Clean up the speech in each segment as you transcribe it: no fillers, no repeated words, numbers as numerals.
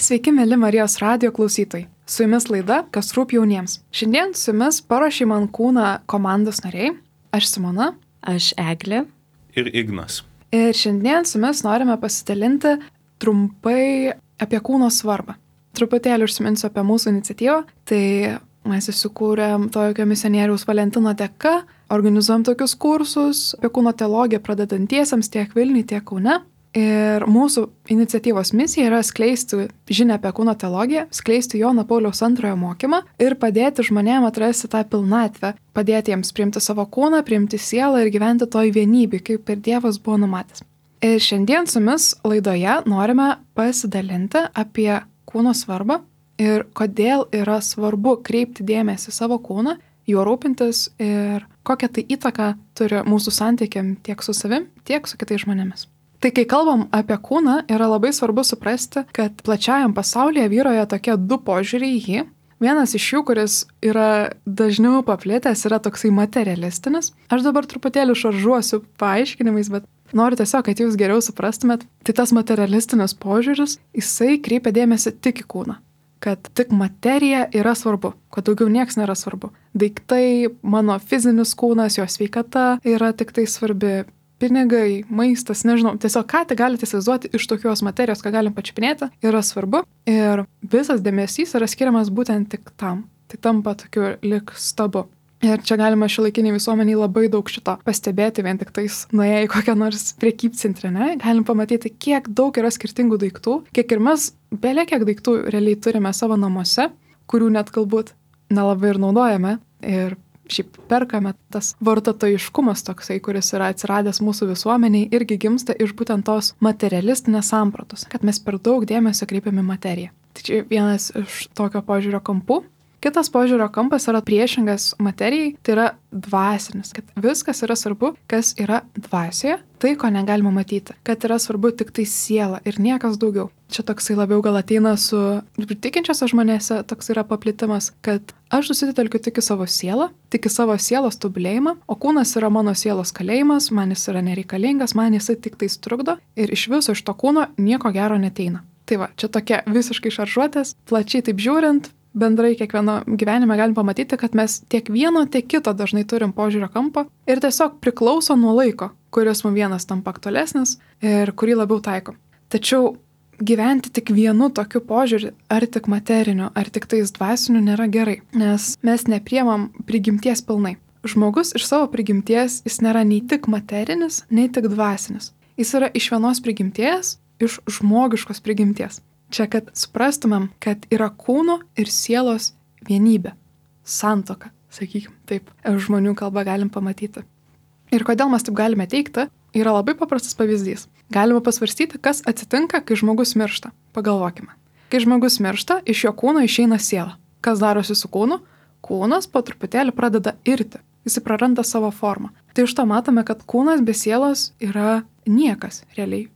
Sveiki, mėly Marijos radijo klausytojai. Su jumis laida Kas rūpi jauniems. Šiandien su jumis paruošė man kūną komandos nariai. Aš Simona. Aš Eglė. Ir Ignas. Ir šiandien su jumis norime pasidalinti trumpai apie kūno svarbą. Truputėlį užsiminsiu apie mūsų iniciatyvą. Tai mes įsikūrėm tokio misionieriaus Valentino dėka, organizuojam tokius kursus apie kūno teologiją pradedantiesiems tiek Vilniuje, tiek Kaune. Ir mūsų iniciatyvos misija yra skleisti žinią apie kūno teologiją, skleisti Jono Pauliaus II mokymą ir padėti žmonėms atrasti tą pilnatvę, padėti jiems priimti savo kūną, priimti sielą ir gyventi toj vienybėj, kaip ir Dievas buvo numatęs. Ir šiandien su jumis laidoje norime pasidalinti apie kūno svarbą ir kodėl yra svarbu kreipti dėmesį į savo kūną, juo rūpintis ir kokią tai įtaką turi mūsų santykiam tiek su savim, tiek su kitais žmonėmis. Tai kai kalbam apie kūną, yra labai svarbu suprasti, kad plačiajam pasaulyje vyroja tokie du požiūriai į jį. Vienas iš jų, kuris yra dažniau paplitęs, yra toksai materialistinis. Aš dabar truputėlį šaržuosiu paaiškinimais, bet noriu tiesiog, kad jūs geriau suprastumėt. Tai tas materialistinis požiūris, jisai kreipia dėmesį tik į kūną. Kad tik materija yra svarbu, kad daugiau nieks nėra svarbu. Daiktai, mano fizinis kūnas, jo sveikata yra tik tai svarbi. Pinigai, maistas, nežinau, tiesiog ką tai galite įsivaizduoti iš tokios materijos, ką galim pačiupinėti, yra svarbu ir visas dėmesys yra skiriamas būtent tik tam. Tai tampa tokiu lik stabu. Ir čia galima šiuolaikiniai visuomeniai labai daug šito pastebėti, vien tik tais nuėję į kokią nors prekybcentrę, ne? Galim pamatyti, kiek daug yra skirtingų daiktų, kiek ir mes belė kiek daiktų realiai turime savo namuose, kurių net galbūt nelabai ir naudojame ir šiaip perkame. Tas vartotojiškumas toksai, kuris yra atsiradęs mūsų visuomeniai, irgi gimsta iš būtent tos materialistinės sampratos, kad mes per daug dėmesio kreipiame materiją. Tai čia vienas iš tokio požiūrio kampų. Kitas požiūrio kampas yra priešingas materijai, tai yra dvasinis, kad viskas yra svarbu, kas yra dvasioje, tai ko negalima matyti, kad yra svarbu tik tai siela ir niekas daugiau. Čia toksai labiau gal ateina su tikinčiose žmonėse, toks yra paplitimas, kad aš susitelkiu tik į savo sielą, tik į savo sielos tobulėjimą, o kūnas yra mano sielos kalėjimas, man jis yra nereikalingas, man jisai tik tai trukdo ir iš viso iš to kūno nieko gero neteina. Tai va, čia tokia visiškai šaržuotės, plačiai taip žiūrint, bendrai kiekvieno gyvenime galim pamatyti, kad mes tiek vieno, tiek kito dažnai turim požiūrio kampą ir tiesiog priklauso nuo laiko, kuris mums vienas tampa aktualesnis ir kurį labiau taikom. Tačiau gyventi tik vienu tokiu požiūriu, ar tik materiniu, ar tik tais dvasiniu nėra gerai, nes mes nepriemam prigimties pilnai. Žmogus iš savo prigimties jis nėra nei tik materinis, nei tik dvasinis. Jis yra iš vienos prigimties, iš žmogiškos prigimties. Čia, kad suprastumėm, kad yra kūno ir sielos vienybė. Santuoka, sakykim, taip, žmonių kalbą galim pamatyti. Ir kodėl mes taip galime teikti, yra labai paprastas pavyzdys. Galima pasvarstyti, kas atsitinka, kai žmogus miršta. Pagalvokime. Kai žmogus miršta, iš jo kūno išeina siela. Kas darosi su kūnu? Kūnas po truputėlį pradeda irti. Jis praranda savo formą. Tai iš to matome, kad kūnas be sielos yra niekas, realiai.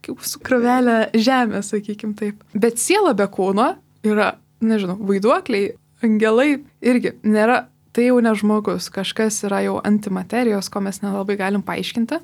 Kaip su krūvelė žemė, sakykim taip. Bet siela be kūno yra, nežinau, vaiduokliai, angelai irgi nėra, tai jau ne žmogus. Kažkas yra jau antimaterijos, ko mes nelabai galim paaiškinti.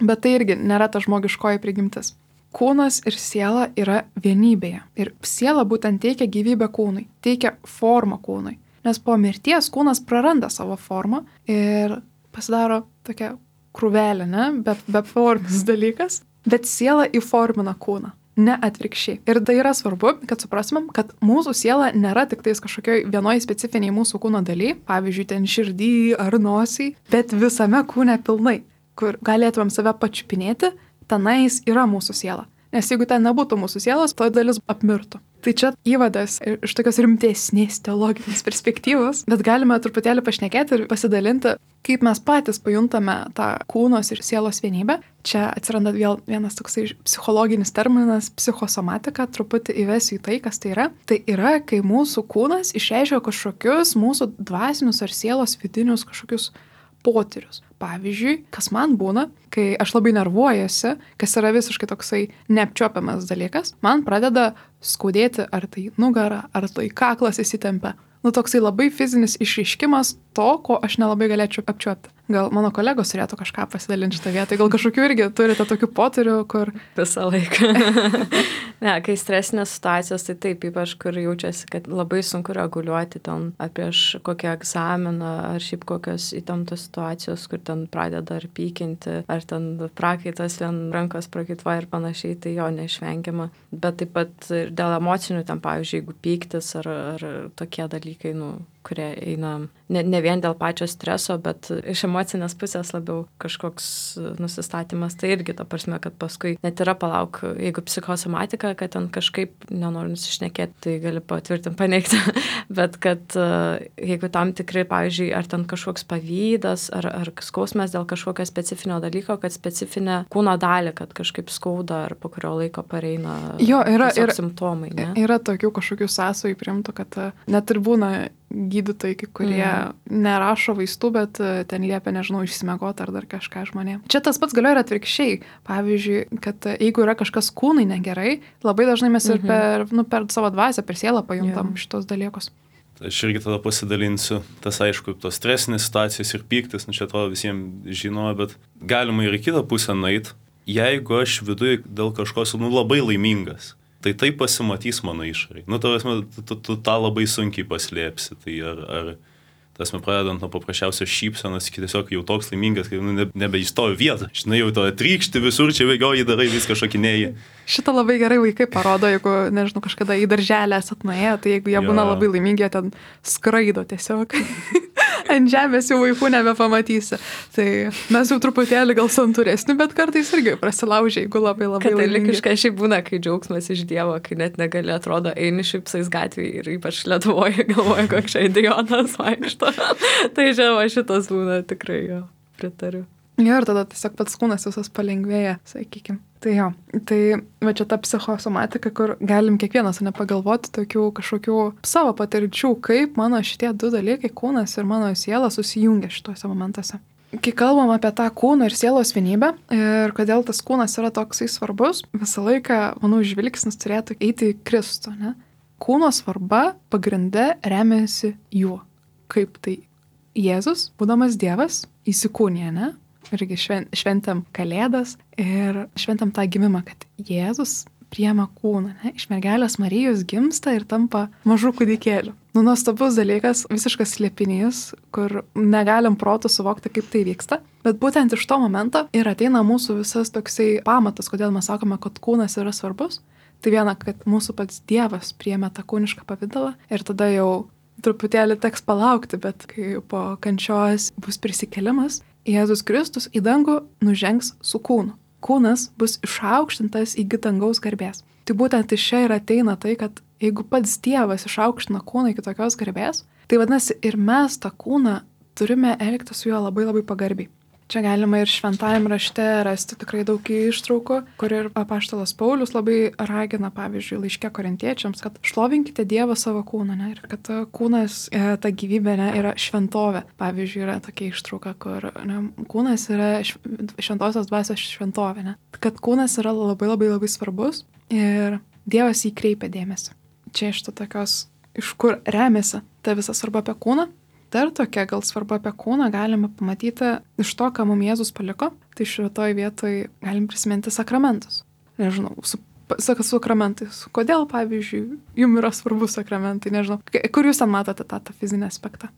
Bet tai irgi nėra ta žmogiškoji prigimtis. Kūnas ir siela yra vienybėje. Ir siela būtent teikia gyvybę kūnui, teikia formą kūnui. Nes po mirties kūnas praranda savo formą ir pasidaro tokia krūvelė, ne? Be formis dalykas. Bet siela įformina kūną, ne atvirkščiai. Ir tai yra svarbu, kad suprastumėm, kad mūsų siela nėra tik tais kažkokioj vienoj specifiniai mūsų kūno daly, pavyzdžiui, ten širdį ar nosį, bet visame kūne pilnai, kur galėtumėm save pačiupinėti, tenais yra mūsų siela. Nes jeigu ten nebūtų mūsų sielos, to dalis apmirtų. Tai čia įvadas iš tokios rimtesnės teologinės perspektyvos, bet galime truputėlį pašnekėti ir pasidalinti, kaip mes patys pajuntame tą kūnos ir sielos vienybę. Čia atsiranda vėl vienas toksai psichologinis terminas psichosomatika, truputį įvesiu į tai, kas tai yra. Tai yra, kai mūsų kūnas išreiškia kažkokius mūsų dvasinius ar sielos vidinius kažkokius potyrius. Pavyzdžiui, kas man būna, kai aš labai nervuojuosi, kas yra visiškai toksai neapčiuopiamas dalykas, man pradeda skaudėti ar tai nugarą, ar tai kaklas įsitempia. Toksai labai fizinis išreiškimas to, ko aš nelabai galėčiau apčiuopti. Gal mano kolegos turėtų kažką pasidalinti šitą vietą. Gal kažkokių irgi turite tokių potyrių, kur... Visą laiką. Ne, kai stresinės situacijos, tai taip, ypač kur jaučiasi, kad labai sunku reguliuoti ten ar prieš kokį egzaminą, ar šiaip kokios įtemptos situacijos, kur ten pradeda ar pykinti, ar ten prakaitas vien rankos prakaituoja ir panašiai, tai jo neišvengiama. Bet taip pat ir dėl emocinių, ten pavyzdžiui, jeigu pyktis ar tokie dalykai, kurie eina ne vien dėl pačio streso, bet iš emocinės pusės labiau kažkoks nusistatymas. Tai irgi ta prasme, kad paskui net yra palauk, jeigu psichosomatika, kad ten kažkaip nenori nusišnekėti, tai gali patvirtinti, paneigti. Bet kad jeigu tam tikrai, pavyzdžiui, ar ten kažkoks pavydas, ar skausmas dėl kažkokio specifinio dalyko, kad specifinę kūno dalį, kad kažkaip skauda, ar po kurio laiko pareina simptomai. Ne? Yra tokių kažkokių sąsajų priimtų, kad net ir būna gydytojai, kai kurie nerašo vaistų, bet ten liepia, nežinau, išsimiegoti ar dar kažką žmonėm. Čia tas pats galioja ir atvirkščiai. Pavyzdžiui, kad jeigu yra kažkas kūnai negerai, labai dažnai mes ir per savo dvasią, per sielą pajuntam šitos dalykus. Aš irgi tada pasidalinsiu. Tas aišku, tos stresinės situacijos ir pyktis, čia atrodo visiems žinoma, bet galima ir į kitą pusę nueiti. Jeigu aš viduje dėl kažko esu labai laimingas, tai pasimatys mano išorai. Tu tą labai sunkiai paslėpsi. Tai ar pradedant nuo paprasčiausios šypsenos, tiesiog jau toks laimingas, kai nebeįstovi vietą. Žinai, jau to trykšti visur, čia bėgioji, darai viską šokinėjai. Šitą labai gerai vaikai parodo, jeigu, nežinau, kažkada į darželę esat nuėję, tai jeigu jie būna labai laimingi, jie ten skraido tiesiog. Ant žemės jau vaikų nebepamatysi. Tai mes jau truputėlį gal santūresni, bet kartais irgi prasilaužia, jeigu labai laimingi. Katalikiškai šiaip būna, kai džiaugsmas iš Dievo, kai net negali, atrodo, eini šipsais gatvėje ir ypač Lietuvoje galvoja, koks čia idiotas vaikšto. Tai žinoma, šitas būna tikrai, jo, pritariu. Jo, ir tada tiesiog pats kūnas visas palengvėja, sakykim. Tai jo, tai va čia ta psichosomatika, kur galim kiekvienas nepagalvoti tokių kažkokių savo patirčių, kaip mano šitie du dalykai, kūnas ir mano siela, susijungia šituose momentuose. Kai kalbam apie tą kūno ir sielos vienybę ir kodėl tas kūnas yra toksai svarbus, visą laiką, manau, žvilgsnis turėtų eiti į Kristų, ne? Kūno svarba pagrinde remiasi juo. Kaip tai Jėzus, būdamas Dievas, įsikūnija, ne? Irgi šventėm Kalėdas ir šventėm tą gimimą, kad Jėzus priema kūną, ne? Iš mergelės Marijos gimsta ir tampa mažų kūdikėlių. Nuostabus dalykas, visiškas slėpinys, kur negalim protu suvokti, kaip tai vyksta. Bet būtent iš to momento ir ateina mūsų visas toksai pamatas, kodėl mes sakome, kad kūnas yra svarbus. Tai viena, kad mūsų pats Dievas priėmė tą kūnišką pavidalą ir tada jau truputėlį teks palaukti, bet kai po kančios bus prisikėlimas, Jėzus Kristus į dangų nužengs su kūnu. Kūnas bus išaukštintas iki dangaus garbės. Tai būtent iš čia ir ateina tai, kad jeigu pats Dievas išaukština kūną iki tokios garbės, tai vadinasi ir mes tą kūną turime elgti su juo labai labai pagarbiai. Čia galima ir šventajame rašte rasti tikrai daug ištraukų, kur ir apaštalas Paulius labai ragina, pavyzdžiui, laiške Korintiečiams, kad šlovinkite Dievą savo kūną, ne? Ir kad kūnas, ta gyvybė, ne, yra šventovė. Pavyzdžiui, yra tokia ištrauka, kur kūnas yra šventosios dvasios šventovė, ne? Kad kūnas yra labai labai labai svarbus ir Dievas jį kreipia dėmesį. Čia iš to tokios, iš kur remiasi ta visa svarba apie kūną. Dar tokia gal svarba apie kūną galime pamatyti iš to, ką mums Jėzus paliko. Tai šitoj vietoj galim prisiminti sakramentus. Nežinau, sakramentais. Kodėl, pavyzdžiui, jums yra svarbus sakramentai, nežinau. Kur jūs ten matote tą fizinį aspektą?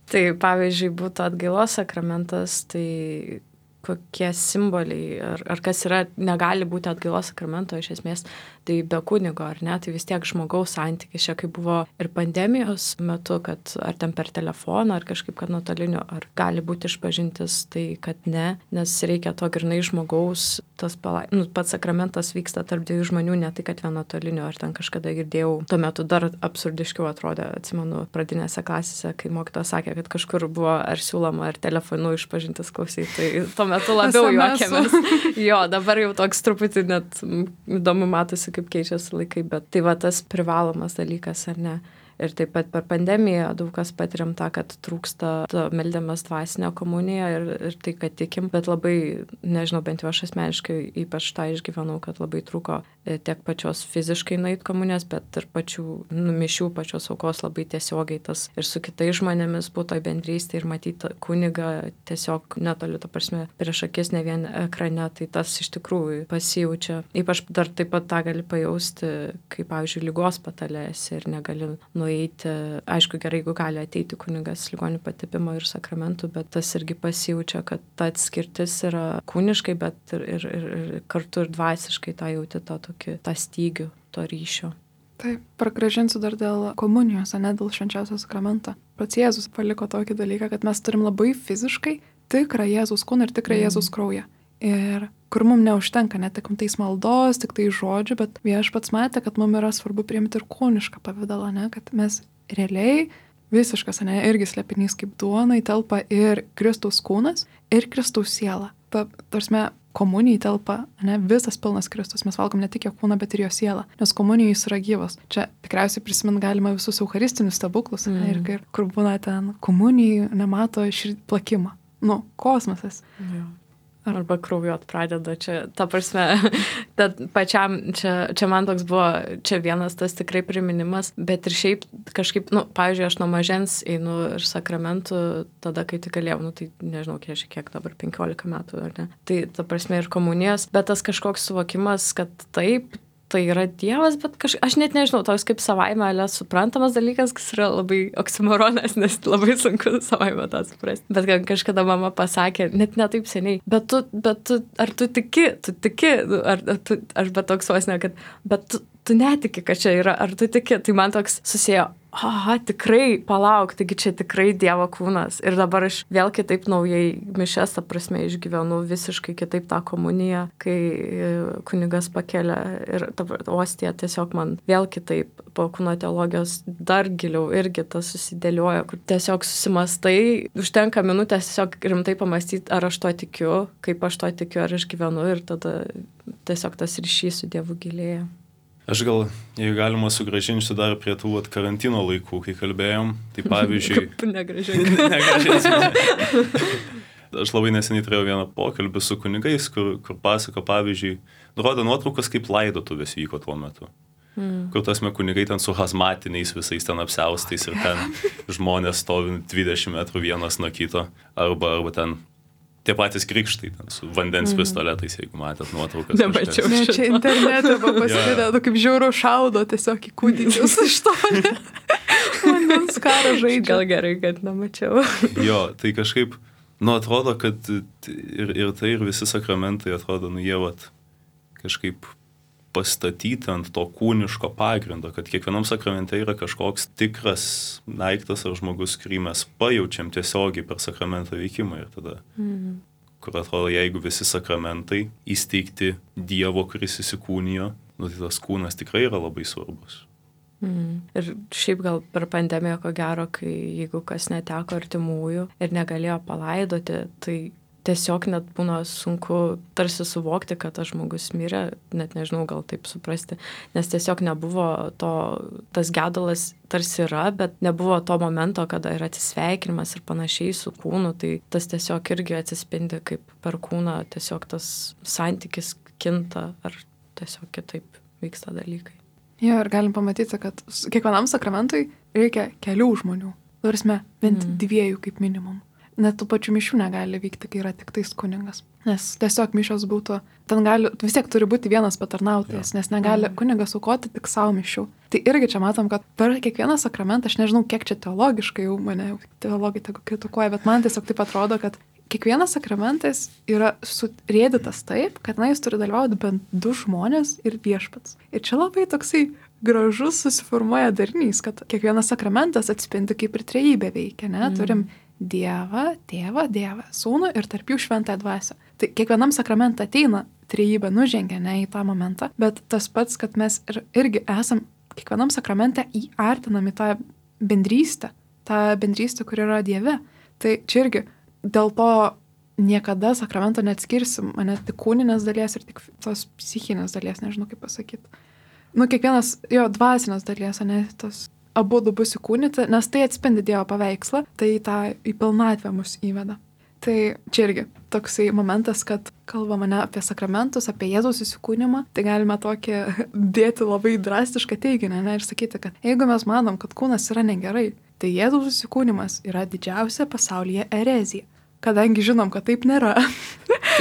Tai, pavyzdžiui, būtų atgailos sakramentas, tai kokie simboliai, ar kas yra, negali būti atgailos sakramento iš esmės, tai be kunigo, ar ne, tai vis tiek žmogaus santykis, čia kaip buvo ir pandemijos metu, kad ar ten per telefoną, ar kažkaip, kad nuotoliniu, ar gali būti išpažintis, tai kad ne, nes reikia to grynai žmogaus, tas pats sakramentas vyksta tarp dviejų žmonių, ne tai, kad vien nuotoliniu, ar ten kažkada girdėjau, tuo metu dar absurdiškiau atrodė, atsimenu, pradinėse klasėse, kai mokytojas sakė, kad kažkur buvo ar siūloma, ar telefonu išpažintis klausyti, tai tuo metu labiau juokėmės. Jo, dabar jau toks truputį net įdomu matosi, kaip keičiasi laikai, bet tai va tas privalomas dalykas, ar ne. Ir taip pat per pandemiją daug kas patiriam tą, kad trūksta meldiamas dvasinę komuniją ir tai, kad tikim, bet labai, nežinau, bent jau aš asmeniškai ypač tą išgyvenau, kad labai trūko tiek pačios fiziškai nueit komunijos, bet ir pačių mišių, pačios aukos labai tiesiogiai tas ir su kitais žmonėmis būtų bendrystė ir matyti kunigą tiesiog netoli, ta prasme, prieš akis ne vien ekrane, tai tas iš tikrųjų pasijaučia. Ypač dar taip pat tą gali pajausti, kaip, pavyzdžiui, ligos patalėsi ir negali nueiti. Aišku, gerai, jeigu gali ateiti kunigas ligonių patepimo ir sakramentų, bet tas irgi pasijaučia, kad ta atskirtis yra kūniškai, bet ir kartu ir dvasiškai tą jauti tą stygių, to ryšio. Taip, pragrąžinsiu dar dėl komunijos, ne dėl švenčiausio sakramento. Pats Jėzus paliko tokį dalyką, kad mes turim labai fiziškai tikrą Jėzus kūną ir tikrą Jėzus kraują. Ir kur mums neužtenka ne tik tais maldos, tik tai žodžių, bet Viešpats matė, kad mums yra svarbu priimti ir kūnišką pavidalą, ne, kad mes realiai visiškas, ne, irgi slėpinys kaip duona įtelpa ir Kristaus kūnas, ir Kristaus siela. Tarsi komunijai telpa, ne, visas pilnas Kristus. Mes valgom ne tik jo kūną, bet ir jo sielą, nes komunijai jis yra gyvas. Čia tikriausiai prisimint galima visus eucharistinius stebuklus, ne, ir kur būna ten komunijai nemato plakimą. Nu, kosmosas. Ja. Arba kraujuot pradeda, čia, ta prasme, pačiam, čia man toks buvo, čia vienas tas tikrai priminimas, bet ir šiaip kažkaip, pavyzdžiui, aš nuo mažens einu ir sakramentų, tada, kai tik galėjau, tai nežinau, kiek dabar, 15 metų, ar ne, tai ta prasme ir komunijos, bet tas kažkoks suvokimas, kad taip, tai yra Dievas, bet aš net nežinau, toks kaip savaime suprantamas dalykas, kas yra labai oksimoronas, nes labai sunku savaime tą suprasti. Bet kažkada mama pasakė, net ne taip seniai, bet tu ar tu tiki, ar bet toks vos ne, kad, bet tu netiki, kad čia yra, ar tu tiki, tai man toks susėjo, tikrai, palauk, taigi čia tikrai Dievo kūnas. Ir dabar aš vėl kitaip naujai mišes, ta prasme, išgyvenu visiškai kitaip tą komuniją, kai kunigas pakelia ir ta ostija tiesiog man vėl kitaip po kūno teologijos dar giliau irgi tas susidėlioja, kur tiesiog susimastai, užtenka minutės tiesiog rimtai pamastyti, ar aš to tikiu, kaip aš to tikiu, ar aš gyvenu ir tada tiesiog tas ryšys su Dievu gilėja. Aš gal, jeigu galima, sugrąžinsiu dar prie tų karantino laikų, kai kalbėjom, tai pavyzdžiui... Negrąžinsiu. Aš labai neseniai turėjau vieną pokalbį su kunigais, kur pasako, pavyzdžiui, rodo nuotraukas, kaip laidotuvės vyko tuo metu. Kur tasme kunigai ten su hazmatiniais visais ten apsiaustais ir ten žmonės stovi 20 metrų vienas nuo kito, arba ten... Tie patys krikštai, ten, su vandens pistoletais, jeigu matėt nuotraukas. Nemačiau. Ne, čia internete pasidėdė, kaip žiauru šaudo tiesiog į kūdikius iš to. Vandens karą žaidžia. Gal gerai, kad nemačiau. Jo, tai kažkaip, atrodo, kad ir tai, ir visi sakramentai atrodo, jie kažkaip pastatyti ant to kūniško pagrindo, kad kiekvienam sakramente yra kažkoks tikras daiktas ar žmogus, kurį mes pajaučiam tiesiogiai per sakramento veikimą ir tada, kur atrodo, jeigu visi sakramentai įsteigti Dievo, kuris įsikūnijo, tai tas kūnas tikrai yra labai svarbus. Ir šiaip gal per pandemiją, ko gero, kai jeigu kas neteko artimųjų ir negalėjo palaidoti, tai tiesiog net būna sunku tarsi suvokti, kad tas žmogus mirė, net nežinau, gal taip suprasti, nes tiesiog nebuvo tas gedulas tarsi yra, bet nebuvo to momento, kada yra atsisveikinimas ir panašiai su kūnu, tai tas tiesiog irgi atsispindi, kaip per kūną tiesiog tas santykis kinta, ar tiesiog kitaip vyksta dalykai. Jo, ir galim pamatyti, kad kiekvienam sakramentui reikia kelių žmonių, tarsi bent 2 kaip minimum. Net tų pačių mišių negali vykti, kai yra tik tais kunigas. Nes tiesiog mišios būtų, vis tiek turi būti vienas patarnautojas, nes negali kunigas aukoti tik savo mišių. Tai irgi čia matom, kad per kiekvieną sakramentą, aš nežinau, kiek čia teologiškai jau mane teologai tegu kritikuoja, bet man tiesiog taip atrodo, kad kiekvienas sakramentas yra surėdytas taip, kad jis turi dalyvauti bent 2 žmonės ir Viešpats. Ir čia labai toksai gražus susiformuoja darinys, kad kiekvienas sakramentas atspindi, kaip ir trejybė veikia, ne? Turim Dievą, Tėvą, Sūnų ir tarp jų Šventąją Dvasią. Tai kiekvienam sakramentą ateina trejybė, nužengia ne į tą momentą, bet tas pats, kad mes irgi esam kiekvienam sakramente įartinami tą bendrystę, kur yra Dieve. Tai čia irgi dėl to niekada sakramento neatskirsim, ne tik kūninės dalies ir tik tos psichinės dalies, nežinau kaip pasakyti. Kiekvienas jo dvasinės dalies, ne tos abu bus įkūnyti, nes tai atspindi Dievo paveikslą, tai tą į pilnatvę mus įveda. Tai čia irgi toksai momentas, kad kalbama ne apie sakramentus, apie Jėzaus įsikūnimą, tai galime tokį dėti labai drastišką teiginį, ne, ir sakyti, kad jeigu mes manom, kad kūnas yra negerai, tai Jėzaus įsikūnimas yra didžiausia pasaulyje erezija. Kadangi žinom, kad taip nėra,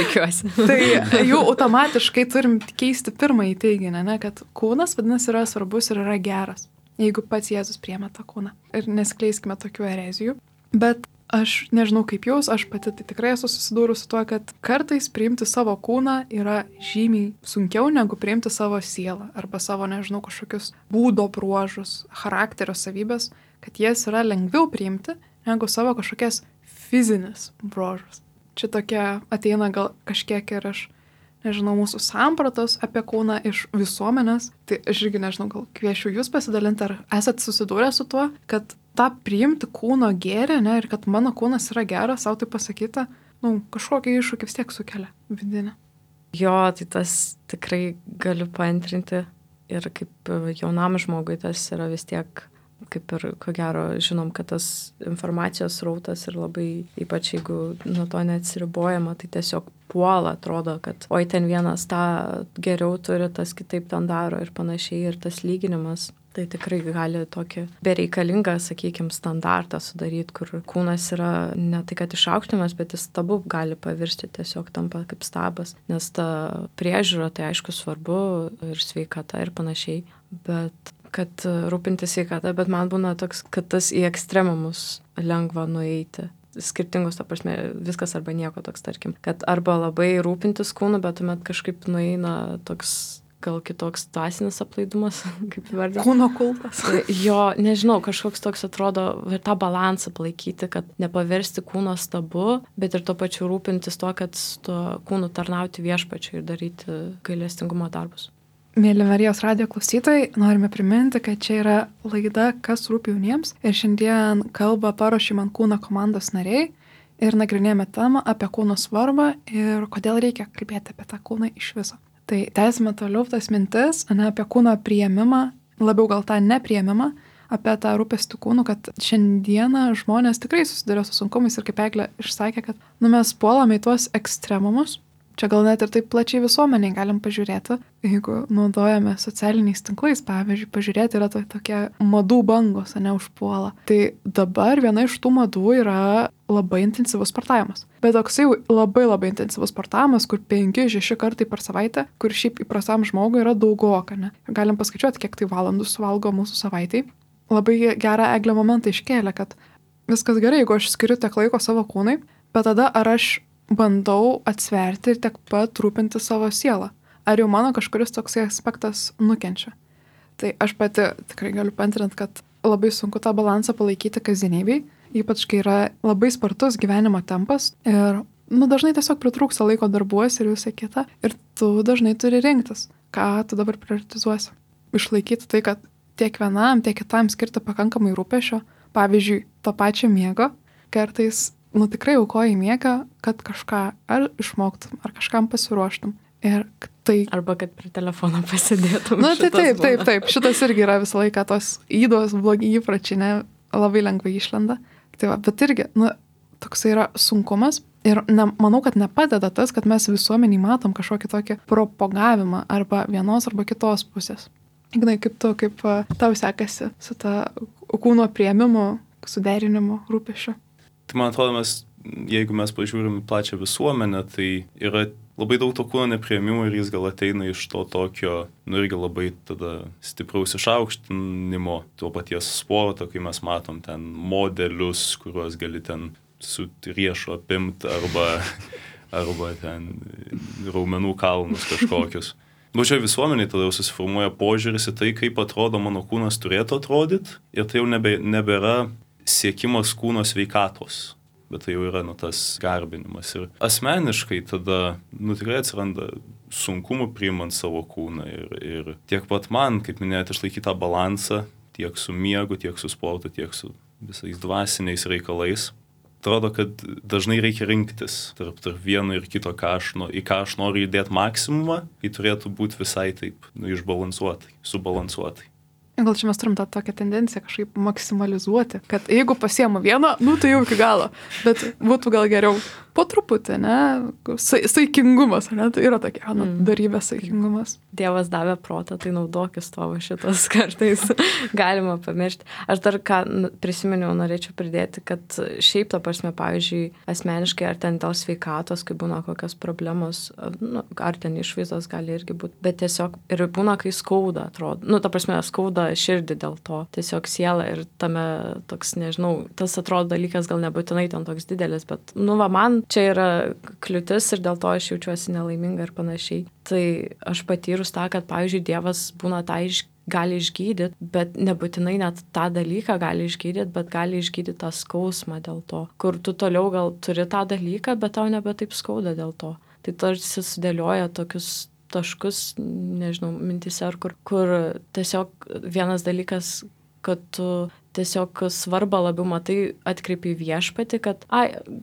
Tikiuosi. tai jau automatiškai turim keisti pirmąjį teiginį, ne, kad kūnas, vadinasi, yra svarbus ir yra geras, jeigu pats Jėzus priėmė tą kūną. Ir neskleiskime tokių erezijų. Bet aš nežinau kaip jūs, aš pati tai tikrai esu susidūrus su tuo, kad kartais priimti savo kūną yra žymiai sunkiau negu priimti savo sielą arba savo, nežinau, kažkokius būdo bruožus, charakterio savybės, kad jas yra lengviau priimti negu savo kažkokias fizinis bruožas. Čia tokia ateina gal kažkiek ir aš, nežinau, mūsų sampratos apie kūną iš visuomenės. Tai aš irgi nežinau, gal kviečiu jūs pasidalinti, ar esat susidūrę su tuo, kad tą priimti kūno gėrį, ne, ir kad mano kūnas yra geras, savo tai pasakyti, kažkokį iššūkį vis tiek sukelia vidinę. Jo, tai tas tikrai galiu paantrinti ir kaip jaunam žmogui tas yra vis tiek, kaip ir ko gero žinom, kad tas informacijos srautas ir labai, ypač jeigu nuo to neatsiribojama, tai tiesiog puola, atrodo, kad oi ten vienas tą geriau turi, tas kitaip ten daro ir panašiai, ir tas lyginimas. Tai tikrai gali tokį bereikalingą, sakykime, standartą sudaryti, kur kūnas yra ne tai, kad išaukštimas, bet jis stabu gali pavirsti, tiesiog tampa kaip stabas. Nes ta priežiūra, tai aišku svarbu ir sveikata ir panašiai, bet kad rūpintis sveikata, bet man būna toks, kad tas į ekstremumus lengva nueiti. Skirtingus, ta prasme, viskas arba nieko toks, tarkim. Kad arba labai rūpintis kūnu, bet tuomet kažkaip nueina toks gal kitoks dvasinis aplaidumas, kaip įvardinti. Kūno kultas. Jo, nežinau, kažkoks toks atrodo ir tą balansą palaikyti, kad nepaversti kūno stabu, bet ir tuo pačiu rūpintis to, kad su tuo kūnu tarnauti viešpačiui ir daryti gailestingumo darbus. Mėly Marijos radijo klausytojai, norime priminti, kad čia yra laida Kas rūpi jauniems ir šiandien kalba Paruošim ant kūno komandos nariai ir nagrinėjame temą apie kūno svarbą ir kodėl reikia kalbėti apie tą kūną iš viso. Tai tęsime toliau tas mintis, ne apie kūno priėmimą, labiau gal tą nepriėmimą, apie tą rūpestį kūnų, kad šiandieną žmonės tikrai susiduria su sunkumais ir kaip Eglė išsakė, kad mes puolame į tuos ekstremumus. Čia gal net ir taip plačiai visuomeniai galim pažiūrėti, jeigu naudojame socialiniais tinklais, pavyzdžiui, pažiūrėti yra tokie madų bangos, ne užpuola. Tai dabar viena iš tų madų yra labai intensyvus sportavimas. Bet toksai labai intensyvus sportavimas, kur 5-6 kartai per savaitę, kur šiaip įprastam žmogui yra daugoka, ne? Galim paskaičiuoti, kiek tai valandų suvalgo mūsų savaitai. Labai gerą Eglę momentą iškėlė, kad viskas gerai, jeigu aš skiriu tiek laiko savo kūnai, bet tada ar aš bandau atsverti ir tiek pat rūpinti savo sielą. Ar jau mano kažkuris toksai aspektas nukenčia. Tai aš pati tikrai galiu paantrinti, kad labai sunku tą balansą palaikyti kasdienybėj, ypač kai yra labai spartus gyvenimo tempas ir dažnai tiesiog pritrūksta laiko darbuose ir visą kitą ir tu dažnai turi rinktis, ką tu dabar prioritizuosi. Išlaikyti tai, kad tiek vienam, tiek kitam skirti pakankamai rūpesčio, pavyzdžiui, to pačio miego, kartais tikrai aukoji miegą, kad kažką ar išmoktum, ar kažkam pasiruoštum. Ir tai... Arba kad prie telefono pasidėtum. Tai taip. Šitas irgi yra visą laiką tos įdos blogi įpračiai, ne, labai lengvai išlenda. Tai va, bet irgi, toksai yra sunkumas. Ir manau, kad nepadeda tas, kad mes visuomeniai matom kažkokį tokį propagavimą arba vienos arba kitos pusės. Ignai, kaip tau sekasi su ta kūno priėmimu, suderinimu, rūpesčiu? Tai man atrodo, jeigu mes pažiūrim plačią visuomenę, tai yra labai daug to kūno nepriėmimo ir jis gal ateina iš to tokio, irgi labai tada stipraus išaukštinimo, to paties sporto, kai mes matom ten modelius, kuriuos gali ten su riešu apimti arba ten raumenų kalnus kažkokius. Pačioj visuomeniai tada jau susiformuoja požiūris į tai, kaip atrodo mano kūnas turėtų atrodyti ir tai jau nebėra siekimas kūno sveikatos, bet tai jau yra tas garbinimas. Ir asmeniškai tada tikrai atsiranda sunkumų priimant savo kūną ir tiek pat man, kaip minėjote, išlaikyti tą balansą tiek su miegu, tiek su sportu, tiek su visais dvasiniais reikalais. Atrodo, kad dažnai reikia rinktis tarp vieno ir kito, į ką aš noriu įdėti maksimumą, tai turėtų būti visai taip išbalansuotai, subalansuotai. Gal čia mes turim tą tokią tendenciją kažkaip maksimalizuoti, kad jeigu pasiemu vieną, tai jau iki galo, bet būtų gal geriau po truputį, ne, saikingumas, ne, tai yra tokia, darybė saikingumas. Dievas davė protą, tai naudokis to šitas kartais galima pamiršti. Aš dar ką prisiminiau, norėčiau pridėti, kad šiaip ta prasme, pavyzdžiui, asmeniškai ar ten dėl sveikatos, kai būna kokios problemos, ar ten išvaizdos gali irgi būti, bet tiesiog ir būna, kai skauda, atrodo, ta prasme, skauda širdį dėl to, tiesiog siela ir tame toks, nežinau, tas atrodo dalykas gal nebūtinai ten toks didelis, bet, man čia yra kliūtis ir dėl to aš jaučiuosi nelaiminga ir panašiai. Tai aš patyrus tą, kad, pavyzdžiui, Dievas būna tą gali išgydyti, bet nebūtinai net tą dalyką gali išgydyti, bet gali išgydyti tą skausmą dėl to, kur tu toliau gal turi tą dalyką, bet tau nebe taip skauda dėl to. Tai tarsi sudėlioja tokius taškus, nežinau, mintise, kur tiesiog vienas dalykas, kad tu tiesiog svarbą labiau matai, atkreipi Viešpatį, kad,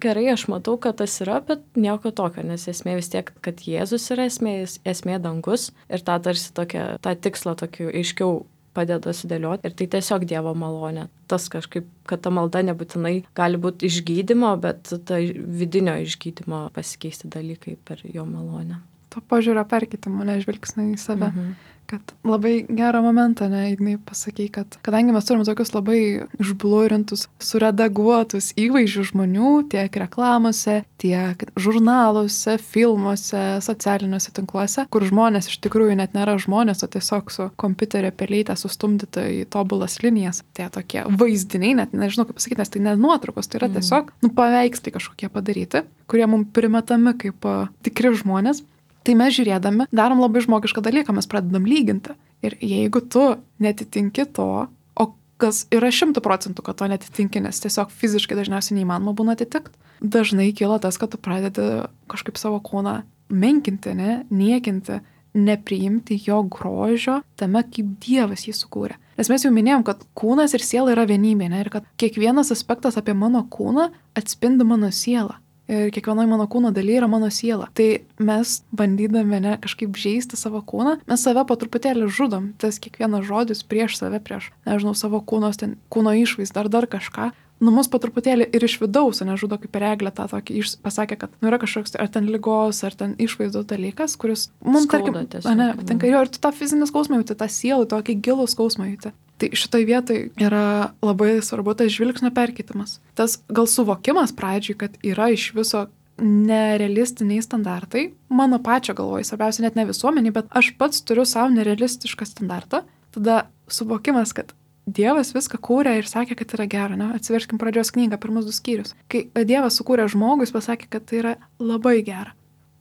gerai, aš matau, kad tas yra, bet nieko tokio, nes esmė vis tiek, kad Jėzus yra esmė dangus ir tą tarsi tą tikslą tokį aiškiau padeda sudėlioti ir tai tiesiog Dievo malonė. Tas kažkaip, kad ta malda nebūtinai gali būti išgydymo, bet ta vidinio išgydymo pasikeisti dalykai per jo malonę. To požiūrio perkeitimo, žvilgsnį į save. Kad labai gerą momentą, Ignai, pasakei, kad kadangi mes turim tokius labai išblurintus, suredaguotus įvaizdžių žmonių, tiek reklamose, tiek žurnaluose, filmuose, socialiniuose tinkluose, kur žmonės iš tikrųjų net nėra žmonės, o tiesiog su kompiuterio pelytė sustumdyta į tobulas linijas. Tie tokie vaizdiniai, net nežinau kaip pasakyti, nes tai ne nuotraukos, tai yra tiesiog paveikslai kažkokie padaryti, kurie mums primetami kaip tikri žmonės. Tai mes žiūrėdami darom labai žmogišką dalyką, mes pradedam lyginti. Ir jeigu tu netitinki to, o kas yra 100%, kad to netitinki, nes tiesiog fiziškai dažniausiai neįmanoma būna atitikti, dažnai kyla tas, kad tu pradedi kažkaip savo kūną menkinti, niekinti, nepriimti jo grožio tame, kaip Dievas jį sukūrė. Nes mes jau minėjom, kad kūnas ir siela yra vienybė, ir kad kiekvienas aspektas apie mano kūną atspindi mano sielą. Ir kiekvienoje mano kūno dalyje yra mano siela. Tai mes, bandydami kažkaip žeisti savo kūną, mes save po truputėlį žudom. Tas kiekvienas žodis prieš save, prieš, savo kūno išvaizdą ar dar kažką. Mus po truputėlį ir iš vidaus, nežudo kaip ir Eglė tą tokį pasakė, kad yra kažkoks ar ten ligos, ar ten išvaizdos dalykas, kuris mums, tarkim, patinka jo, ir tu tą fizinį skausmą jauti, tą sielą, tokį gilų skausmą jauti. Tai šitoj vietoj yra labai svarbu tas žvilgsnio perkeitimas. Tas gal suvokimas pradžiui, kad yra iš viso nerealistiniai standartai, mano pačio galvoj, svarbiausia net ne visuomenį, bet aš pats turiu savo nerealistišką standartą, tada suvokimas, kad Dievas viską kūrė ir sakė, kad yra gera, Atsiverskim pradžios knygą, pirmus 2 skyrius. Kai Dievas sukūrė žmogų, jis pasakė, kad tai yra labai gera.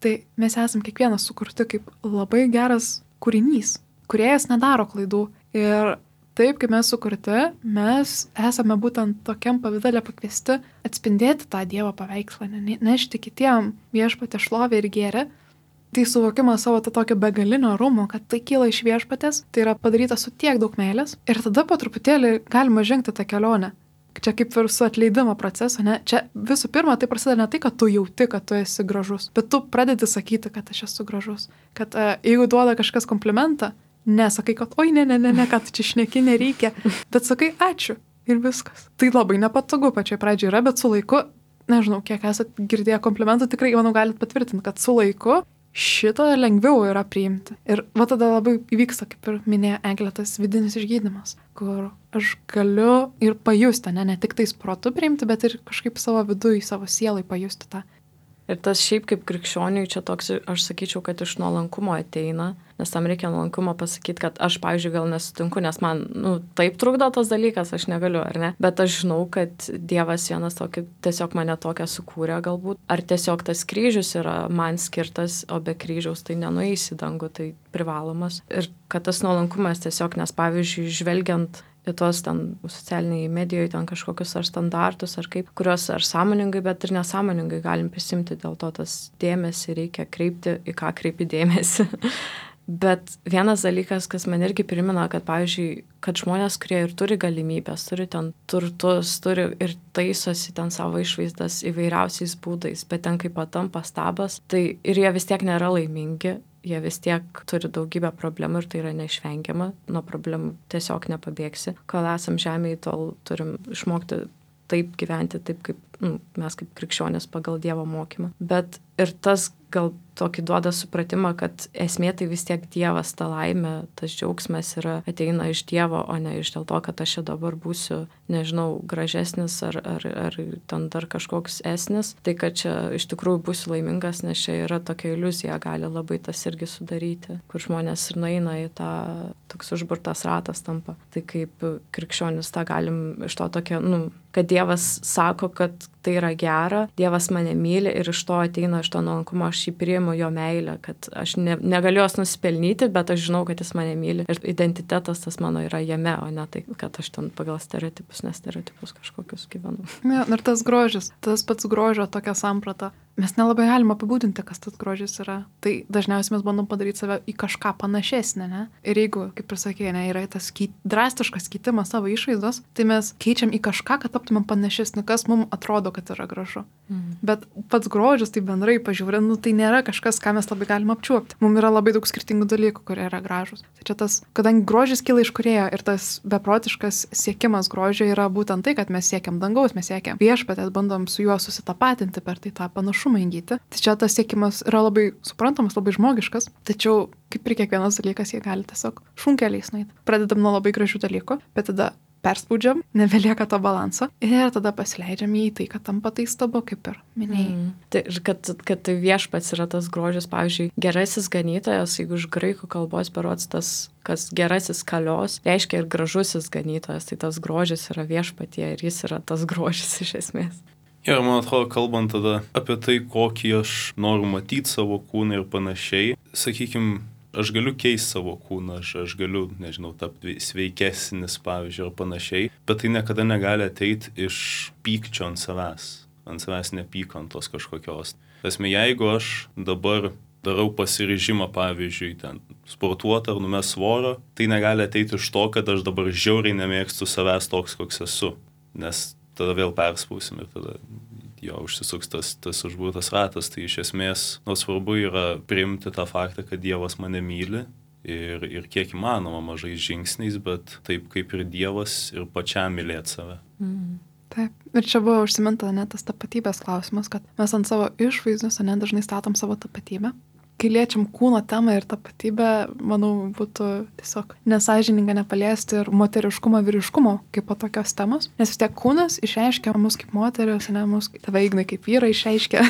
Tai mes esam kiekvienas sukurti kaip labai geras kūrinys. Kūrėjas nedaro klaidų. Ir taip, kaip mes sukurti, mes esame būtent tokiam pavidale pakviesti atspindėti tą Dievo paveikslą, nešti kitiem Viešpatės šlovę ir gėrį. Tai suvokimas savo tokio begalinio orumo, kad tai kyla iš Viešpatės, tai yra padaryta su tiek daug meilės. Ir tada po truputėlį galima žengti tą kelionę. Čia kaip ir su atleidimo procesu, Čia visų pirma, tai prasideda ne tai, kad tu jauti, kad tu esi gražus, bet tu pradedi sakyti, kad aš esu gražus. Kad jeigu duoda kažkas komplimentą, nesakai, kad oi, ne, kad čia šneki nereikia, bet sakai ačiū ir viskas. Tai labai nepatogu pačioj pradžioj yra, bet su laiku, nežinau, kiek esate girdėję komplimentų, tikrai, manau, galit patvirtinti, kad su laiku šito lengviau yra priimti. Ir tada labai įvyksta, kaip ir minėjo Eglė, tas vidinis išgydymas, kur aš galiu ir pajusti, ne tik tais protu priimti, bet ir kažkaip savo viduje, savo sielai pajusti tą. Ir tas šiaip kaip krikščioniui čia toks, aš sakyčiau, kad iš nuolankumo ateina, nes tam reikia nuolankumo pasakyti, kad aš, pavyzdžiui, gal nesutinku, nes man, taip trukdo tas dalykas, aš negaliu, ar ne? Bet aš žinau, kad Dievas vienas tokį, tiesiog mane tokią sukūrė galbūt, ar tiesiog tas kryžius yra man skirtas, o be kryžiaus tai nenueis į dangų, tai privalomas. Ir kad tas nuolankumas tiesiog, nes pavyzdžiui, žvelgiant į tuos ten socialiniai medijoje ten kažkokius ar standartus, ar kaip, kuriuos ar sąmoningai, bet ir nesąmoningai galim prisimti, dėl to tas dėmesį reikia kreipti, į ką kreipi dėmesį. Bet vienas dalykas, kas man irgi primena, kad, pavyzdžiui, kad žmonės, kurie ir turi galimybės, turi ten turtus, turi ir taisosi ten savo išvaizdas įvairiausiais būdais, bet ten kaip patampa stabas, tai ir jie vis tiek nėra laimingi, jie vis tiek turi daugybę problemų ir tai yra neišvengiama, nuo problemų tiesiog nepabėgsi. Kol esam žemėje, tol turim išmokti taip gyventi, taip kaip mes kaip krikščionės pagal Dievo mokymą. Bet ir tas gal tokį duoda supratimą, kad esmė tai vis tiek Dievas, ta laimė, tas džiaugsmas ateina iš Dievo, o ne iš dėl to, kad aš čia dabar būsiu, nežinau, gražesnis ar ten dar kažkoks esnis. Tai, kad čia iš tikrųjų būsiu laimingas, nes čia yra tokia iliuzija, gali labai tas irgi sudaryti, kur žmonės ir nueina į tą toks užburtas ratas tampa. Tai kaip krikščionis tą galim iš to tokia, kad Dievas sako, kad tai yra gera, Dievas mane myli ir iš to ateina iš to nuolankumo, aš jį priimu jo meilę, kad aš negaliu jos nusipelnyti, bet aš žinau, kad jis mane myli ir identitetas tas mano yra jame, o ne tai, kad aš ten pagal stereotipus, nestereotipus kažkokius gyvenu. Ja, ir tas grožis, tas pats grožio tokia samprata. Mes nelabai galime apibūdinti, kas tas grožis yra. Tai dažniausiai mes bandom padaryti save į kažką panašesnę, ne? Ir jeigu, kaip ir sakė, ne, yra tas drastiškas keitimas savo išvaizdos, tai mes keičiam į kažką, kad taptumėm panašesnį, kas mums atrodo, kad yra gražu. Bet pats grožis, tai bendrai pažiūrint, tai nėra kažkas, ką mes labai galim apčiuopti. Mums yra labai daug skirtingų dalykų, kurie yra gražus. Tai čia tas, kadangi grožis kyla iš Kūrėjo ir tas beprotiškas siekimas grožio yra būtent tai, kad mes siekiam dangaus, mes siekiam viešpatės, bandom su juo susitapatinti per tai tą panašumą įgyti. Tai čia tas siekimas yra labai suprantamas, labai žmogiškas, tačiau kaip ir kiekvienas dalykas, jie gali tiesiog šunkeliais nueiti. Pradedam nuo labai gražių dalykų, bet tada perspaudžiam, nebelieka to balanso ir tada pasileidžiam į tai, kad tampa tai stabu, kaip ir minėjai. Tai, kad tai viešpats yra tas grožis, pavyzdžiui, gerasis ganytojas, jeigu iš graikų kalbos berods tas, kas gerasis kalios, reiškia ir gražusis ganytojas, tai tas grožis yra viešpatie ir jis yra tas grožis iš esmės. Ir man atrodo, kalbant tada apie tai, kokį aš noriu matyti savo kūną ir panašiai, sakykime, aš galiu keisti savo kūną, aš galiu, nežinau, tapti sveikesnis, pavyzdžiui, ar panašiai, bet tai niekada negali ateiti iš pykčio ant savęs nepykantos kažkokios. Tasme, jeigu aš dabar darau pasiryžimą, pavyzdžiui, ten sportuoti ar numest svorio, tai negali ateiti iš to, kad aš dabar žiauriai nemėgstu savęs toks, koks esu, nes tada vėl perspausim ir tada jo užsisuks tas užburtas ratas. Tai iš esmės, svarbu yra priimti tą faktą, kad Dievas mane myli ir kiek įmanoma mažais žingsniais, bet taip kaip ir Dievas ir pačiam mylėti save. Taip. Ir čia buvo užsiminta net tas tapatybės klausimas, kad mes ant savo išvaizdos dažnai statom savo tapatybę. Kai liečiam kūno temą ir tapatybę, manau, būtų tiesiog nesąžininga nepaliesti ir moteriškumo, vyriškumo kaip po tokios temos. Nes vis tiek kūnas išreiškia mus kaip moteris, ne mus, tave Ignai kaip vyrai išreiškia.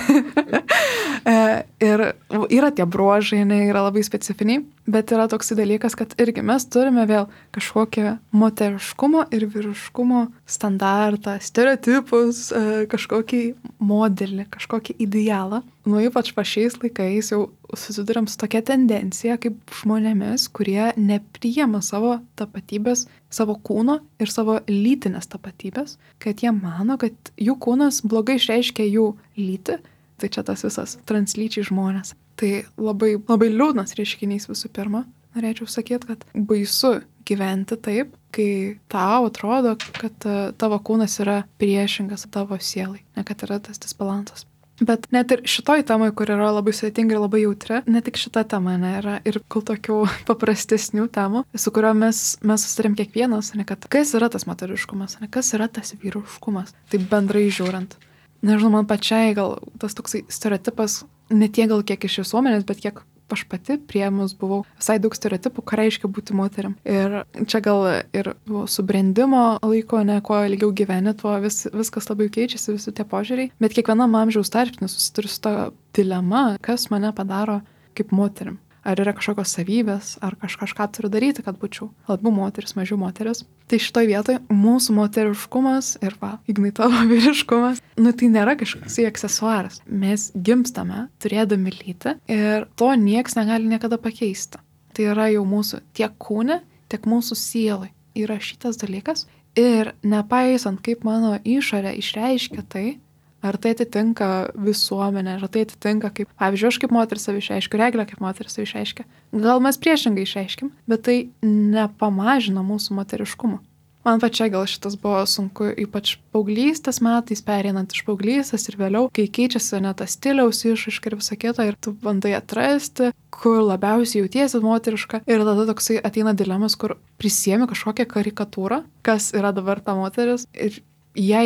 Ir yra tie bruožai, yra labai specifiniai, bet yra toks dalykas, kad irgi mes turime vėl kažkokią moteriškumo ir vyriškumo standartą, stereotipus, kažkokį modelį, kažkokį idealą. Ypač šiais laikais jau susiduriam su tokia tendencija kaip žmonėmis, kurie nepriima savo tapatybės, savo kūno ir savo lytinės tapatybės, kad jie mano, kad jų kūnas blogai išreiškia jų lytį, tai čia tas visas translyčiai žmonės. Tai labai, labai liūdnas reiškinys visų pirma. Norėčiau sakyti, kad baisu gyventi taip, kai tau atrodo, kad tavo kūnas yra priešingas tavo sielai, ne kad yra tas disbalansas. Bet net ir šitoj temai, kur yra labai sudėtinga ir labai jautri, ne tik šita tema yra ir kol tokių paprastesnių temų, su kurio mes susitarėm kiekvienas, ne kad kas yra tas moteriškumas, ne kas yra tas vyriškumas, tai bendrai žiūrint. Nežinau, man pačiai gal tas toksai stereotipas, ne tiek gal kiek iš visuomenės, bet kiek aš pati priėmus buvau visai daug stereotipų, ką reiškia būti moterim. Ir čia gal ir subrendimo laiko, ne, kuo ilgiau gyveni, tuo viskas labai keičiasi, visi tie požiūriai. Bet kiekvienam amžiaus tarpsniu susiduriu su ta dilema, kas mane padaro kaip moterim. Ar yra kažkokios savybės, ar kažką turiu daryti, kad būčiau labiau moteris, mažiau moteris. Tai šitoj vietoj mūsų moteriškumas ir Ignai tavo vyriškumas, tai nėra kažkoks aksesuaras. Mes gimstame turėdami lytį ir to nieks negali niekada pakeisti. Tai yra jau mūsų tiek kūne, tiek mūsų sielai įrašytas dalykas ir nepaisant, kaip mano išorė išreiškia tai, ar tai atitinka visuomenę, ar tai atitinka, kaip, pavyzdžiui, aš kaip moteris save išreiškiu, Eglė kaip moteris save išreiškia. Gal mes priešingai išreiškim, bet tai nepamažina mūsų moteriškumo. Man pačiai gal šitas buvo sunku, ypač paauglystės metais, pereinant iš paauglystės ir vėliau, kai keičiasi net tas stiliaus išraiška ir visą kitą, ir tu bandai atrasti, kur labiausiai jautiesi moteriška. Ir tada toksai ateina dilemas, kur prisiemi kažkokią karikatūrą, kas yra dabar ta moteris, ir ją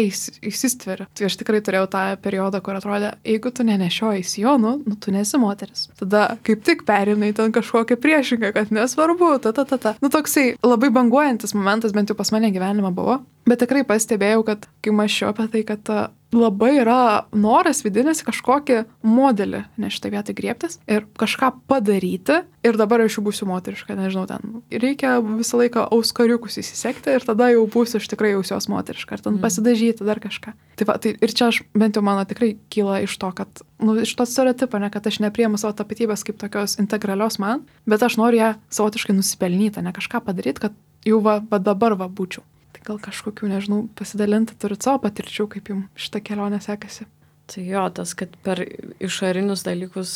įsistveria. Tai aš tikrai turėjau tą periodą, kur atrodė, jeigu tu nenešioji sijonų, tu nesi moteris. Tada kaip tik perinai ten kažkokią priešingą, kad nesvarbu, toksai labai banguojantis momentas, bent jau pas mane gyvenime buvo. Bet tikrai pastebėjau, kad kai mąsčiau apie tai, kad labai yra noras vidinis kažkokį modelį, ne šitą vietą griebtis ir kažką padaryti. Ir dabar aš jau būsiu moteriška, nežinau, ten reikia visą laiką auskariukus įsisekti ir tada jau būsiu aš tikrai jausios moteriška, ar ten pasidažyti dar kažką. Tai va, tai ir čia aš, bent jau mano tikrai kyla iš to, kad, iš to stereotipo, ne, kad aš nepriimu savo tapatybės kaip tokios integralios man, bet aš noriu ją savotiškai nusipelnyti, ne kažką padaryti, kad jau va dabar būčiau. Gal kažkokių, nežinau, pasidalinti turit savo patirčių, kaip jums šitą kelionę sekasi. Tai jo, tas, kad per išorinius dalykus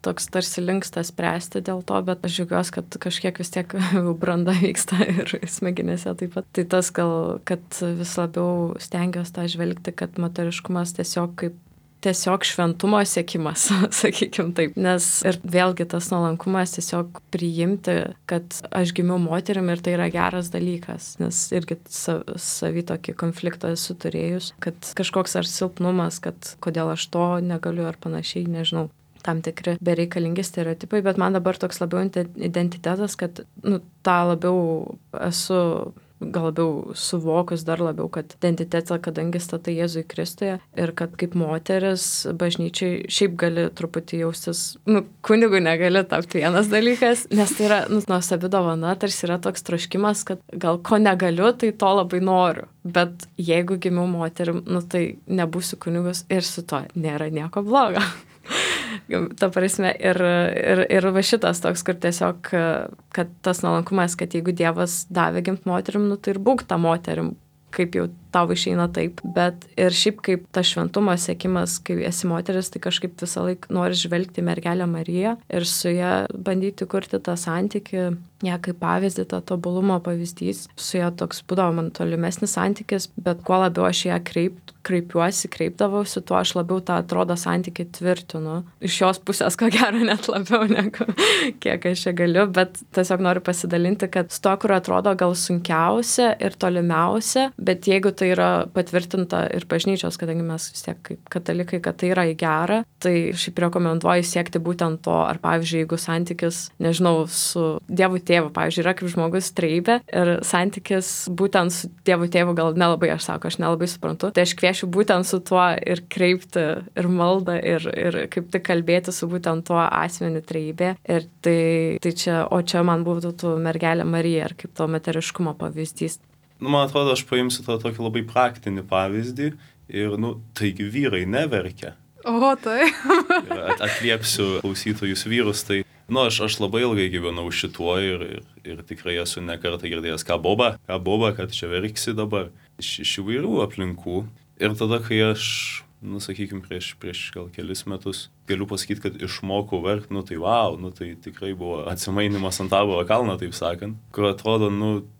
toks tarsi linksta spręsti dėl to, bet aš džiaugiuosi, kad kažkiek vis tiek branda vyksta ir smegenėse taip pat. Tai tas gal, kad vis labiau stengiuosi tą žvelgti, kad moteriškumas tiesiog šventumo siekimas, sakykim taip. Nes ir vėlgi tas nuolankumas tiesiog priimti, kad aš gimiau moterim ir tai yra geras dalykas. Nes irgi savį tokį konfliktą esu turėjus, kad kažkoks ar silpnumas, kad kodėl aš to negaliu ar panašiai, nežinau. Tam tikri bereikalingi stereotipai, bet man dabar toks labiau identitetas, kad tą labiau esu gal labiau suvokus dar labiau, kad identitetą, kadangi statai Jėzui Kristuje ir kad kaip moteris bažnyčiai šiaip gali truputį jaustis, kunigų negali tapti vienas dalykas, nes tai yra nuostabi dovana, tarsi yra toks troškimas, kad gal ko negaliu, tai to labai noriu. Bet jeigu gimiau moterim, tai nebūsiu kunigus ir su to nėra nieko blogo. Ta prasme, ir va šitas toks, kur tiesiog, kad tas nuolankumas, kad jeigu Dievas davė gimt moterim, tai ir būk tą moterim, kaip jau tau išeina taip. Bet ir šiaip kaip ta šventumo siekimas, kai esi moteris, tai kažkaip visą laiką nori žvelgti mergelę Mariją ir su ją bandyti kurti tą santykį, ją kaip pavyzdį, tą tobulumo pavyzdys. Su ją toks būdavo man tolimesnis santykis, bet kuo labiau aš ją kreipdavausi, tuo aš labiau tą atrodo santykį tvirtinu. Iš jos pusės, ko gero, net labiau negu kiek aš čia galiu, bet tiesiog noriu pasidalinti, kad su to, kur atrodo gal sunkiausia ir tolimiausia, bet jeigu tai yra patvirtinta ir bažnyčios, kadangi mes vis tiek kaip katalikai, kad tai yra į gerą, tai šiaip rekomenduoju siekti būtent to, ar pavyzdžiui, jeigu santykis, nežinau, su Dievu tėvu, pavyzdžiui, yra kaip žmogus treibė ir santykis būtent su Dievu tėvu gal nelabai, aš nelabai suprantu, tai aš kviečiu būtent su tuo ir kreipti ir maldą ir kaip tik kalbėti su būtent tuo asmeniu treibė. Ir tai čia, o čia man būtų mergelė Marija ir kaip to moteriškumo pavyzdys. Man atrodo, aš paimsiu tą tokį labai praktinį pavyzdį ir, taigi vyrai neverkia. O, tai. Atliepsiu klausytojus vyrus, tai, aš labai ilgai gyvenau šituo ir tikrai esu nekartą girdėjęs, ką boba, kad čia verksi dabar iš įvairių aplinkų. Ir tada, kai aš, sakykime, prieš gal kelis metus galiu pasakyti, kad išmokau verkti, tai wow, tai tikrai buvo atsimainimas ant Taboro kalno, taip sakant, kur atrodo,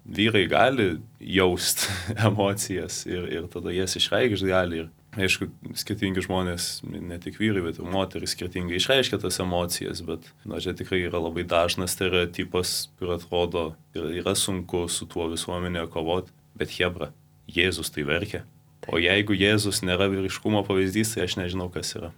vyrai gali jausti emocijas ir tada jas išreikšti gali. Ir aišku, skirtingi žmonės, ne tik vyrai, bet ir moteris skirtingai išreiškia tas emocijas, bet čia tikrai yra labai dažnas stereotipas, kur atrodo, yra sunku su tuo visuomenėje kovoti, bet hebra, Jėzus tai verkia. O jeigu Jėzus nėra vyriškumo pavyzdys, tai aš nežinau, kas yra.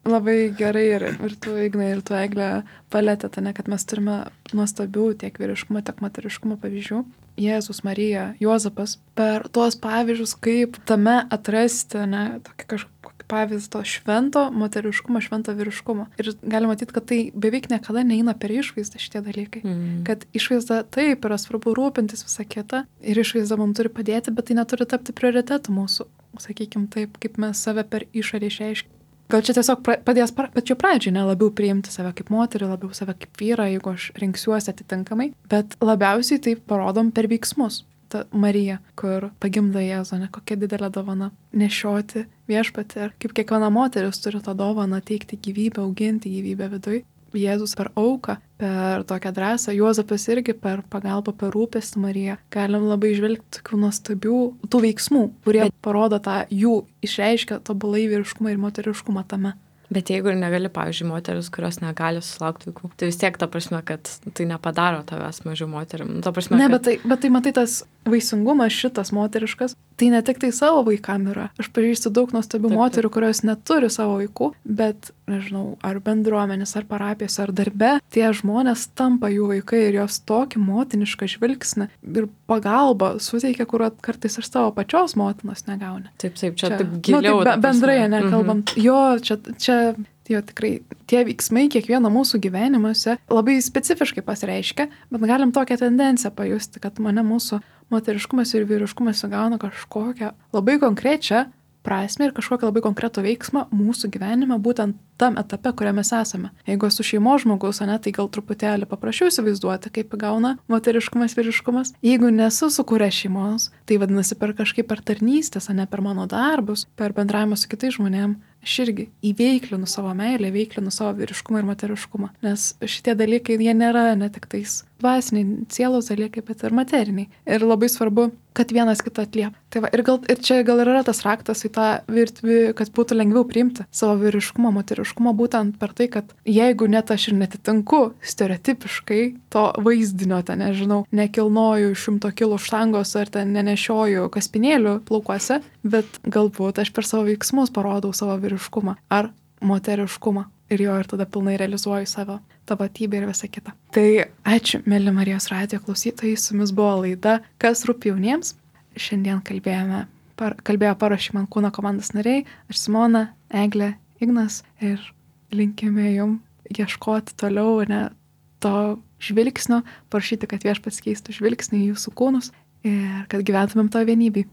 Labai gerai ir tu, Ignai, ir tu, Eglė, palėtėte, kad mes turime nuostabių tiek vyriškumo, tiek moteriškumo pavyzdžių. Jėzus, Marija, Juozapas. Per tuos pavyzdžius, kaip tame atrasti, tokį kažkokį pavyzdį to švento moteriškumo, švento vyriškumo. Ir galima matyti, kad tai beveik niekada neina per išvaizdą šitie dalykai. Kad išvaizda taip yra svarbu rūpintis visą kitą ir išvaizda mums turi padėti, bet tai neturi tapti prioritetu mūsų, sakykime taip, kaip mes save per išorę išreiškime. Gal čia tiesiog padės pačiu pradžiai, labiau priimti save kaip moterį, labiau save kaip vyrą, jeigu aš rinksiuosi atitinkamai, bet labiausiai tai parodom per veiksmus. ta Marija, kur pagimdo Jėzų, ne kokia didelė dovana nešioti viešpatį ir kaip kiekviena moteris turi tą dovaną teikti gyvybę, auginti gyvybę viduj. Jėzus per auką, per tokią drąsą, Juozapas irgi per pagalbą, per rūpestį Mariją. Galim labai žvelgti tokių nuostabių tų veiksmų, kurie parodo tą jų išreiškia tobulai vyriškumą ir moteriškumą tame. Bet jeigu ir negali, pavyzdžiui, moteris, kurios negali susilaukti vaikų, tai vis tiek ta prasme, kad tai nepadaro tavęs mažiau moterim. Ta prasme, ne, kad... bet tai matai, tas vaisingumas šitas moteriškas, tai ne tik tai savo vaikam yra. Aš pažįstu daug nuostabių moterų, kurios neturi savo vaikų, bet, nežinau, ar bendruomenės, ar parapijos, ar darbe, tie žmonės tampa jų vaikai ir jos tokį motinišką žvilgsnį ir pagalbą suteikia, kur kartais iš savo pačios motinos negauni. Taip, čia taip giliau. Bendrai, nekalbant. Jo, čia jo tikrai tie veiksmai kiekvieno mūsų gyvenimuose labai specifiškai pasireiškia, bet galim tokią tendenciją pajusti, kad mūsų moteriškumas ir vyriškumas įgauna kažkokią labai konkrečią prasme ir kažkokią labai konkretų veiksmą mūsų gyvenime, būtent tam etape, kuriame mes esame. Jeigu esu šeimos žmogus, tai gal truputėlį paprašiau įsivaizduoti, kaip įgauna moteriškumas, vyriškumas. Jeigu nesu sukūręs šeimos, tai vadinasi per kažkaip per tarnystės, per mano darbus, per bendravimą su kitais žmonėmis. Aš irgi įveiklinu savo meilę, įveiklinu savo vyriškumą ir moteriškumą. Nes šitie dalykai, jie nėra ne tik tais dvasiniai, sielos dalykai, bet ir materiniai. Ir labai svarbu, kad vienas kitą atliep. Tai va, ir čia gal yra tas raktas į tą virtuvį, kad būtų lengviau priimti savo vyriškumą, moteriškumą, būtent per tai, kad jeigu net aš ir netitinku stereotipiškai to vaizdinio, nežinau, nekilnoju 100 kilų štangos ar nenešioju kaspinėlių plaukuose, bet galbūt aš per savo veiksmus parodau savo vyriškumą ar moteriškumą ir jo ir tada pilnai realizuoju savo tapatybę ir visą kitą. Tai ačiū, mėly Marijos radijo klausytojai, su jumis buvo laida Kas rūpi jauniems. Šiandien kalbėjo Paruošk man kūną komandos nariai, aš Simona, Eglė, Ignas ir linkime jum ieškoti toliau to žvilgsnio, prašyti, kad Viešpats keistų žvilgsnį į jūsų kūnus ir kad gyventumėm to vienybėj.